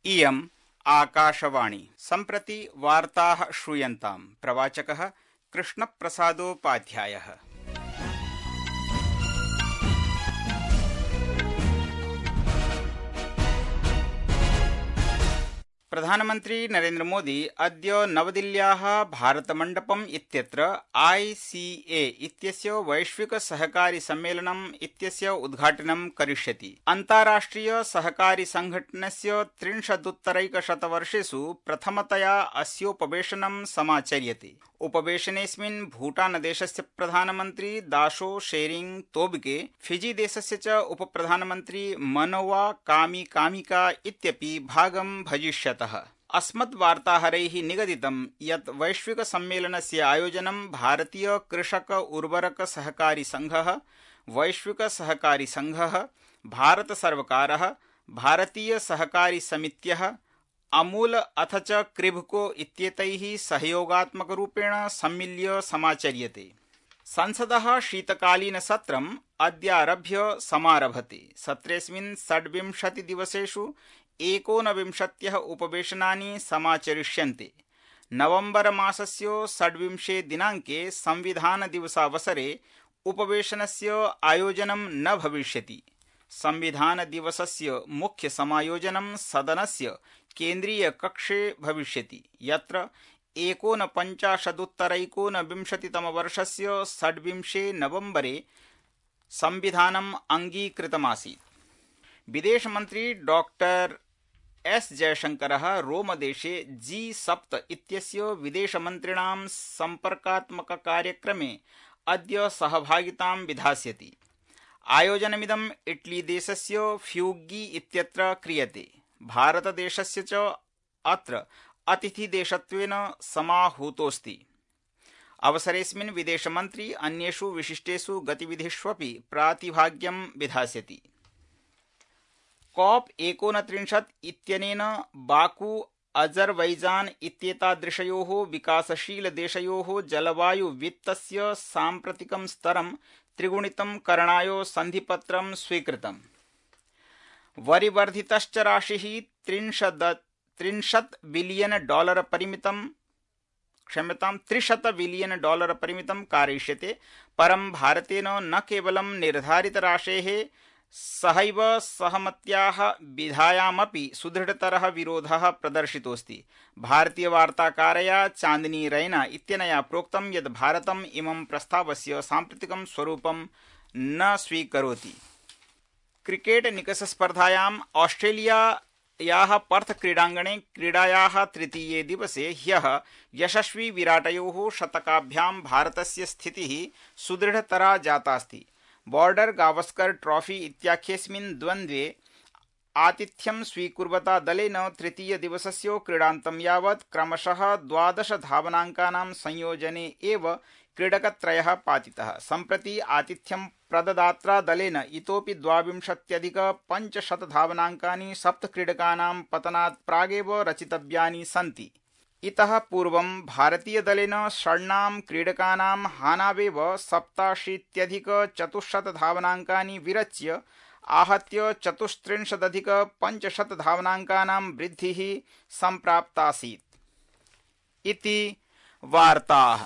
इयम् आकाशवाणी। सम्प्रति वार्ताः श्रूयन्ताम्। प्रवाचकः कृष्णप्रसादोपाध्यायः। प्रधानमन्त्री नरेन्द्र मोदी अद्य नवदिल्ल्याः भारतमण्डपम् इत्यत्र ICA इत्यस्य वैश्विक सहकारी सम्मेलनम् इत्यस्य उद्घाटनं करिष्यति। अन्ताराष्ट्रिय सहकारी संघटनस्य 30-उत्तरैकशतवर्षेषु प्रथमतया अस्योपवेशनं समाचर्यते। उपवेशनेऽस्मिन् भूटानदेशस्य प्रधानमन्त्री दाशो शेरिंग तोब्गे, फिजी देशस्य च उपप्रधानमन्त्री मनोवा कामिका इत्यपि भागं भजिष्यतः। अस्मद्वार्ताहरैः निगदितं यत् वैश्विक सम्मेलनस्य आयोजनं भारतीय कृषक उर्वरक सहकारी संघः, वैश्विक सहकारी संघः, भारत सर्वकारः, भारतीय सहकारी समित्यः, अमूल अथ च क्रिभको इत्येतैः सहयोगात्मकरूपेण सम्मिल्य समाचर्यते। संसदः शीतकालीनसत्रम् अद्यारभ्य समारभते। सत्रेऽस्मिन् 26 दिवसेषु 29 उपवेशनानि समाचरिष्यन्ते। नवम्बर मासस्य 26 दिनाङ्के संविधानदिवसावसरे उपवेशनस्य आयोजनं न भविष्यति। संविधानदिवसस्य मुख्य समायोजनं सदनस्य केन्द्रीयकक्षे भविष्यति, यत्र 49-उत्तरैकोनविंशतितमवर्षस्य 26 नवम्बरे संविधानम् अङ्गीकृतमासीत्। विदेशमन्त्री डॉक्टर एस जयशंकरः रोमदेशे G7 इत्यस्य विदेशमन्त्रिणां सम्पर्कात्मककार्यक्रमे अद्य सहभागितां विधास्यति। आयोजनमिदम् इटलीदेशस्य फ्यूग्गी इत्यत्र क्रियते। भारतदेशस्य च अत्र अतिथिदेशत्वेन समाहूतोऽस्ति। अवसरेऽस्मिन् विदेशमन्त्री अन्येषु विशिष्टेषु गतिविधिष्वपि प्रातिभाग्यं विधास्यति। COP29 इत्यनेन बाकू अजरबैजान इत्येतादृशयोः विकासशीलदेशयोः जलवायुवित्तस्य साम्प्रतिकं स्तरं त्रिगुणितं करणाय सन्धिपत्रं स्वीकृतम्। वरिवर्धितश्च राशिः $300 बिलियन परिमितं कारयिष्यते। परं भारतेन न केवलं निर्धारितराशेः सहैव सहमत्याः विधायामपि सुदृढतरः विरोधः प्रदर्शितोऽस्ति। भारतीयवार्ताकारया चांदनी रैना इत्यनया प्रोक्तं यत् भारतम् इमं प्रस्तावस्य साम्प्रतिकं स्वरूपं न स्वीकरोति। क्रिकेट निकषस्पर्धायाम् ऑस्ट्रेलियायाः पर्थ क्रीडाङ्गणे क्रीडायाः तृतीये दिवसे ह्यः यशस्वी विराटयोः शतकाभ्यां भारतस्य स्थितिः सुदृढतरा जातास्ति। बॉर्डर गावस्कर ट्रॉफी इत्याख्येऽस्मिन् द्वन्द्वे आतिथ्यं स्वीकुर्वता दलेन तृतीय दिवसस्य क्रीडान्तं यावत् क्रमशः 12 धावनाङ्कानां संयोजने एव क्रीडकत्रयः पातितः। सम्प्रति आतिथ्यं प्रददात्रा दलेन इतोपि 22-500 धावनाङ्कानि 7 क्रीडकानां पतनात् प्रागेव रचितव्यानि सन्ति। इतः पूर्वं भारतीयदलेन षण्णां क्रीडकानां हानावेव 87-400 धावनाङ्कानि विरच्य आहत्य 34-500 धावनाङ्कानां वृद्धिः सम्प्राप्तासीत्। इति वार्ताः।